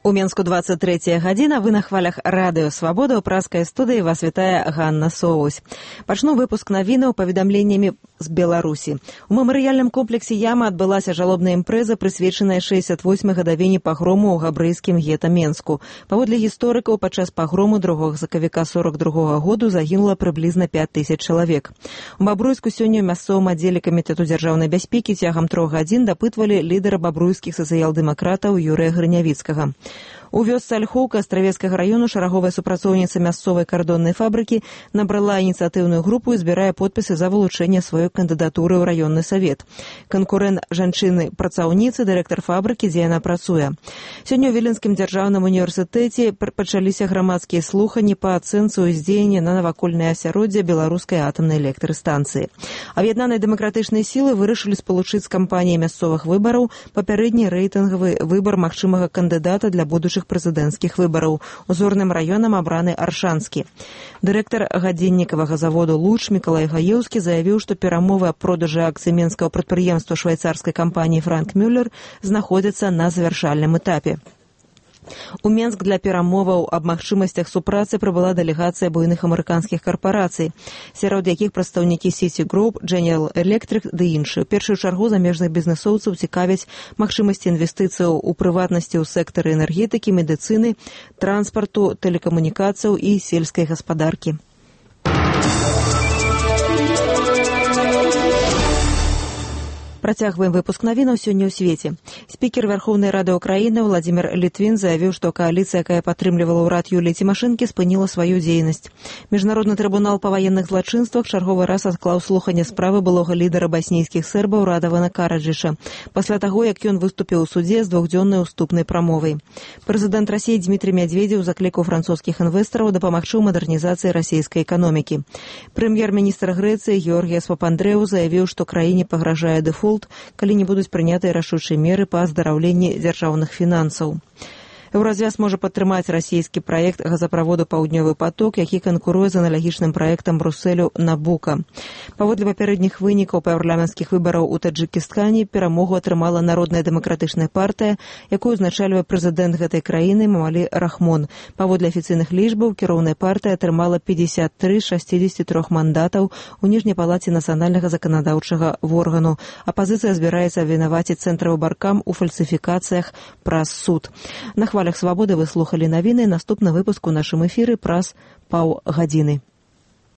У Менску 23 гадзіна, вы на хвалях радыё «Свабода», у праскай студыі вас вітае Ганна Соусь. Пачну выпуск навінаў паведамленнямі з Беларусі. У мемарыяльным комплексе Яма адбылася жалобная імпрэза, прысвечаная 68-й гадавіне пагрому ў габрэйскім гета Менску. Паводле гісторыкаў, падчас пагрому 2 сакавіка 42 году загінула прыблізна 5000 чалавек. У Бабруйску сёння ў мясцовым аддзеле камітэту дзяржаўнай бяспекі цягам 3 гадзін дапытвалі лідара бабруйскіх сацыял-дэмакратаў Юрыя Грынявіцкага. У вёсцы Альхоўка Астравецкага раёну шараговая супрацоўніца мясцовай кардоннай фабрыкі набрала ініцыятыўную групу і збірае подпісы за вылучэнне сваёй кандыдатуры ў раённы савет. Канкурэнт жанчыны-працаўніцы, дырэктар фабрыкі, дзе яна працуе. Сёння ў Віленскім дзяржаўным універсітэце пачаліся грамадскія слуханні па ацэнцы ўздзеяння на навакольнае асяроддзе беларускай атамнай электрастанцыі. Аб'яднаныя дэмакратычныя сілы вырашылі спалучыць з кампаніяй мясцовых выбараў папярэдні рэйтынгавы выбар магчымага кандыдата для будучых прэзідэнцкіх выбараў. Узорным раёнам абраны Аршанскі. Дырэктар гадзіннікавага заводу «Луч» Мікалай Гаеўскі заявіў, што перамовы аб продажы акцый менскага прадпрыемства швайцарскай кампаніі «Франк Мюллер» знаходзяцца на завяршальным этапе. У Менск для перамоваў аб магчымасцях супрацы прыбыла дэлегацыя буйных амерыканскіх карпарацый, сярод якіх прадстаўнікі City Group, General Electric ды іншыя. У першую чаргу замежных бізнэсоўцаў цікавяць магчымасці інвестыцыяў у прыватнасці ў сектары энергетыкі, медыцыны, транспарту, тэлекамунікацыяў і сельскай гаспадаркі. Працягваем выпуск навінаў сёння ў свеце. Спікер Верховнай Рады Украіны Владзімір Літвін заявіў, што кааліцыя, якая падтрымлівала ўрад Юліі Цімашэнкі, спыніла сваю дзейнасць. Міжнародны трыбунал па ваенных злачынствах чарговы раз адклаў слуханне справы былога лідара баснійскіх сербаў Радавана Караджыша, пасля таго, як ён выступіў у судзе з двухдзённай уступнай прамовай. Прэзідэнт Расіі Дмітрый Мядзведзеў заклікаў французскіх інвестараў дапамагчы ў мадэрнізацыі расійскай эканомікі. Прэм'ер-міністр Грэцыі Георгіяс Папандрэу заявіў, што краіне пагражае дэфолт, калі не будуць прынятыя рашучыя меры па аздараўленні дзяржаўных фінансаў. Еўразвяз можа падтрымаць расійскі праект газаправоду «Паўднёвы поток», які канкуруе з аналагічным праектам Брусэлю «Набука». Паводле папярэдніх вынікаў парламенцкіх выбараў у Таджыкістане перамогу атрымала Народная дэмакратычная партыя, якую узначальвае прэзідэнт гэтай краіны Мамалі Рахмон. Паводле афіцыйных лічбаў, кіроўная партыя атрымала 53 з 63 мандатаў у ніжняй палаце нацыянальнага заканадаўчага органу. Апазіцыя збіраецца абвінаваціць цэнтравы баркам у фальсіфікацыях праз суд. На хвалях «Свабоды» вы слухалі навіны. Наступны выпуск у нашым эфіры праз паўгадзіны.